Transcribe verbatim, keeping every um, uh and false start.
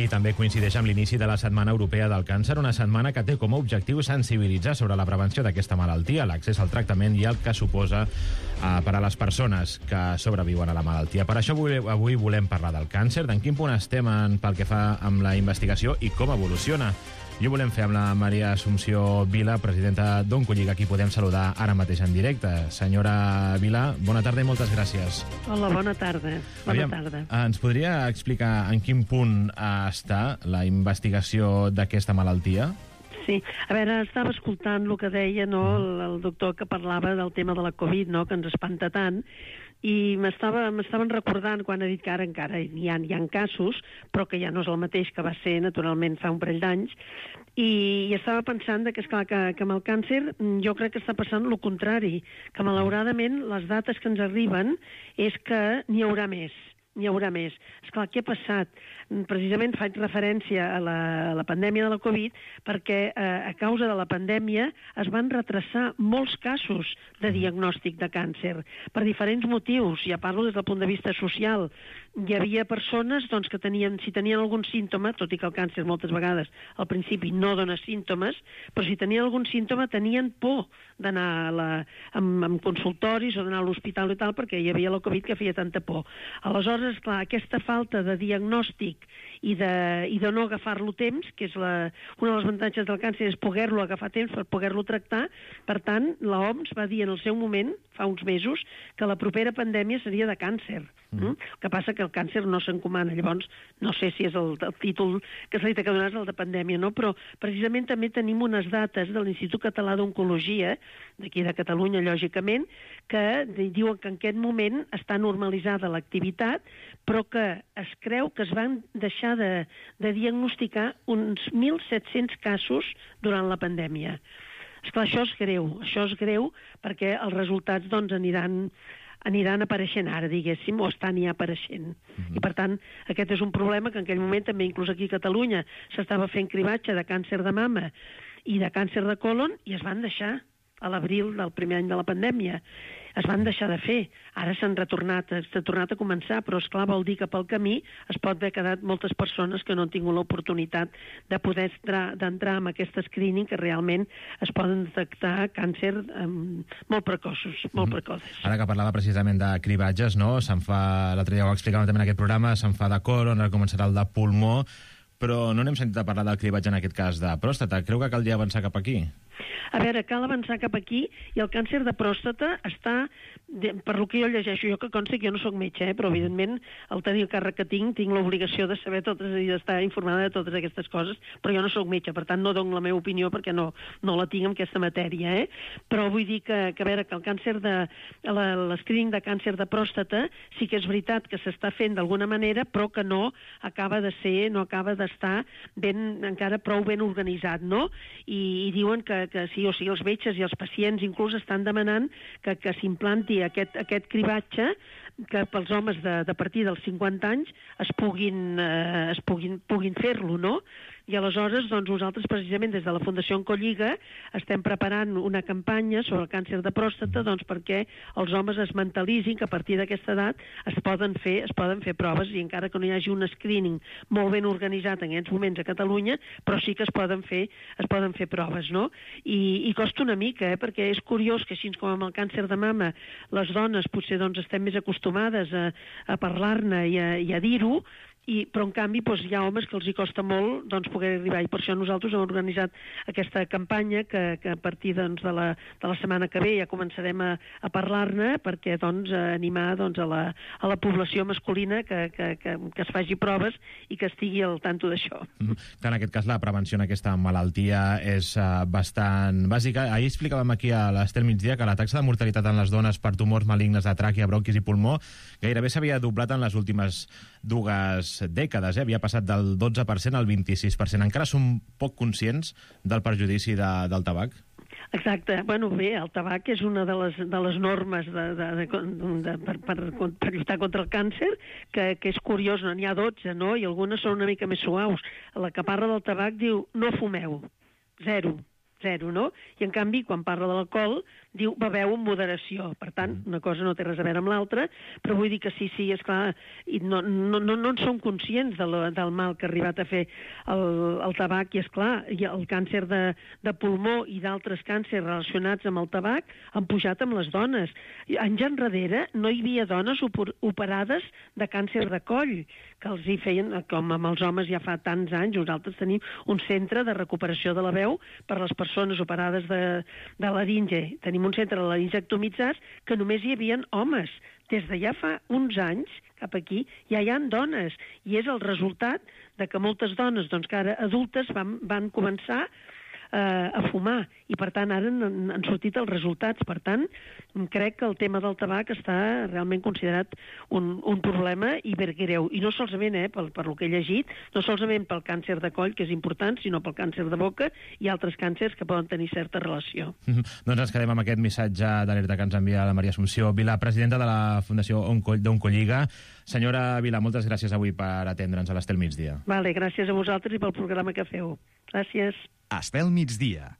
I també coincideix amb l'inici de la Setmana Europea del Càncer, una setmana que té com a objectiu sensibilitzar sobre la prevenció d'aquesta malaltia, l'accés al tractament i el que suposa eh, per a les persones que sobreviuen a la malaltia. Per això avui, avui volem parlar del càncer, d'en quin punt estem en, pel que fa amb la investigació i com evoluciona. I ho volem fer amb la Maria Assumpció Vila, presidenta d'Oncolliga, a qui podem saludar ara mateix en directe. Senyora Vila, bona tarda i moltes gràcies. Hola, bona tarda. Bona Aviam, tarda. Ens podria explicar en quin punt està la investigació d'aquesta malaltia? Sí, a veure, estava escoltant el que deia, no, el, el doctor que parlava del tema de la Covid, no, que ens espanta tant, i m'estaven recordant quan ha dit que ara encara hi ha, hi ha casos, però que ja no és el mateix que va ser, naturalment, fa un parell d'anys, i, i estava pensant que, esclar, que, que amb el càncer jo crec que està passant el contrari, que malauradament les dates que ens arriben és que n'hi haurà més. N'hi haurà més. Esclar, què ha passat? Precisament faig referència a la, a la pandèmia de la Covid perquè eh, a causa de la pandèmia es van retrasar molts casos de diagnòstic de càncer per diferents motius. Ja parlo des del punt de vista social. Hi havia persones doncs, que tenien, si tenien algun símptoma, tot i que el càncer moltes vegades al principi no dona símptomes, però si tenien algun símptoma tenien por d'anar a la, amb, amb consultoris o d'anar a l'hospital i tal perquè hi havia la Covid que feia tanta por. Aleshores, clar, aquesta falta de diagnòstic i de, i de no agafar-lo temps, que és la, una de les avantatges del càncer és poder-lo agafar temps per poder-lo tractar. Per tant, l'O M S va dir en el seu moment, fa uns mesos, que la propera pandèmia seria de càncer. Mm. El que passa que el càncer no s'encomana, llavors no sé si és el, el títol que se li té que donar és el de pandèmia, no? Però precisament també tenim unes dates de l'Institut Català d'Oncologia, d'aquí de Catalunya, lògicament, que diuen que en aquest moment està normalitzada l'activitat, però que es creu que es van deixar de, de diagnosticar uns mil set-cents casos durant la pandèmia. Esclar, això és greu, això és greu perquè els resultats doncs, aniran aniran apareixent ara, diguéssim, o estan ja apareixent. Mm-hmm. I, per tant, aquest és un problema que en aquell moment també, inclús aquí a Catalunya, s'estava fent cribatge de càncer de mama i de càncer de colon i es van deixar a l'abril del primer any de la pandèmia. Es van deixar de fer. Ara s'han retornat, s'ha tornat a començar, però, esclar, vol dir que pel camí es pot haver quedat moltes persones que no han tingut l'oportunitat de poder d'entrar en aquest screening que realment es poden detectar càncer um, molt precoços, molt precoces. Ara que parlava precisament de cribatges, no? Se'n fa, l'altre dia ho explicàvem també en aquest programa, se'n fa de colon, ara començarà el de pulmó, però no n'hem sentit a parlar del cribatge en aquest cas de pròstata. Creu que caldria avançar cap aquí? A veure, cal avançar cap aquí i el càncer de pròstata està, de, per lo que jo llegeixo, jo que consta que jo no soc metge, eh, però evidentment al tenir el càrrec que tinc, tinc l'obligació de saber totes i d'estar informada de totes aquestes coses, però jo no soc metge, per tant no dono la meva opinió perquè no, no la tinc en aquesta matèria, eh? Però vull dir que, que a veure, que el càncer de, l'escreening de càncer de pròstata sí que és veritat que s'està fent d'alguna manera, però que no acaba de ser, no acaba d'estar ben, encara prou ben organitzat, no? I, i diuen que, que sí, o sigui, els metges i els pacients inclús estan demanant que, que s'implanti aquest, aquest cribatge que pels homes de, de partir dels cinquanta anys es puguin, eh, es puguin, puguin fer-lo, no? I aleshores, doncs, nosaltres precisament des de la Fundació Oncolliga estem preparant una campanya sobre el càncer de pròstata doncs, perquè els homes es mentalitzin que a partir d'aquesta edat es poden fer es poden fer proves i encara que no hi hagi un screening molt ben organitzat en aquests moments a Catalunya, però sí que es poden fer, es poden fer proves, no? I, i costa una mica, eh? Perquè és curiós que així com amb el càncer de mama les dones potser doncs, estem més acostumades a, a parlar-ne i a, i a dir-ho, I, però en canvi doncs, hi ha homes que els hi costa molt doncs, poder arribar i per això nosaltres hem organitzat aquesta campanya que, que a partir doncs, de, la, de la setmana que ve ja començarem a, a parlar-ne perquè doncs, a animar doncs, a, la, a la població masculina que, que, que, que es faci proves i que estigui al tanto d'això. Mm, en aquest cas la prevenció en aquesta malaltia és uh, bastant bàsica. Ahir explicàvem aquí a l'Estel Migdia que la taxa de mortalitat en les dones per tumors malignes de tràquea, bronquis i pulmó gairebé s'havia doblat en les últimes dues dècades, eh? Havia passat del dotze per cent al vint-i-sis per cent. Encara som poc conscients del perjudici de, del tabac? Exacte. Bueno, bé, el tabac és una de les, de les normes de, de, de, de, per, per, per lluitar contra el càncer, que, que és curiós, no? N'hi ha dotze, no? I algunes són una mica més suaus. La que parla del tabac diu, no fumeu, zero. zero, no? I, en canvi, quan parla de l'alcohol, diu beveu amb moderació. Per tant, una cosa no té res a veure amb l'altra, però vull dir que sí, sí, esclar, i no, no, no, no en som conscients de lo, del mal que ha arribat a fer el, el tabac, i, esclar, i el càncer de, de pulmó i d'altres càncers relacionats amb el tabac han pujat amb les dones. Anys enrere no hi havia dones operades de càncer de coll, que els hi feien, com amb els homes ja fa tants anys. Nosaltres tenim un centre de recuperació de la veu per a les persones operades de, de laringe. Tenim un centre de laringectomitzats que només hi havia homes. Des de ja fa uns anys, cap aquí, ja hi ha dones. I és el resultat de que moltes dones, doncs, que ara adultes, van, van començar a fumar, i per tant ara han, han sortit els resultats. Per tant, crec que el tema del tabac està realment considerat un, un problema i ben greu, i no solament, eh, per, per lo que he llegit, no solament pel càncer de coll, que és important, sinó pel càncer de boca i altres càncers que poden tenir certa relació. Mm-hmm. Doncs ens quedem amb aquest missatge d'alerta que ens envia la Maria Assumpció Vilà, presidenta de la Fundació d'Oncolliga. Senyora Vilà, moltes gràcies avui per atendre'ns a l'Estel Migdia. Vale, gràcies a vosaltres i pel programa que feu. Gràcies. Estel Migdia.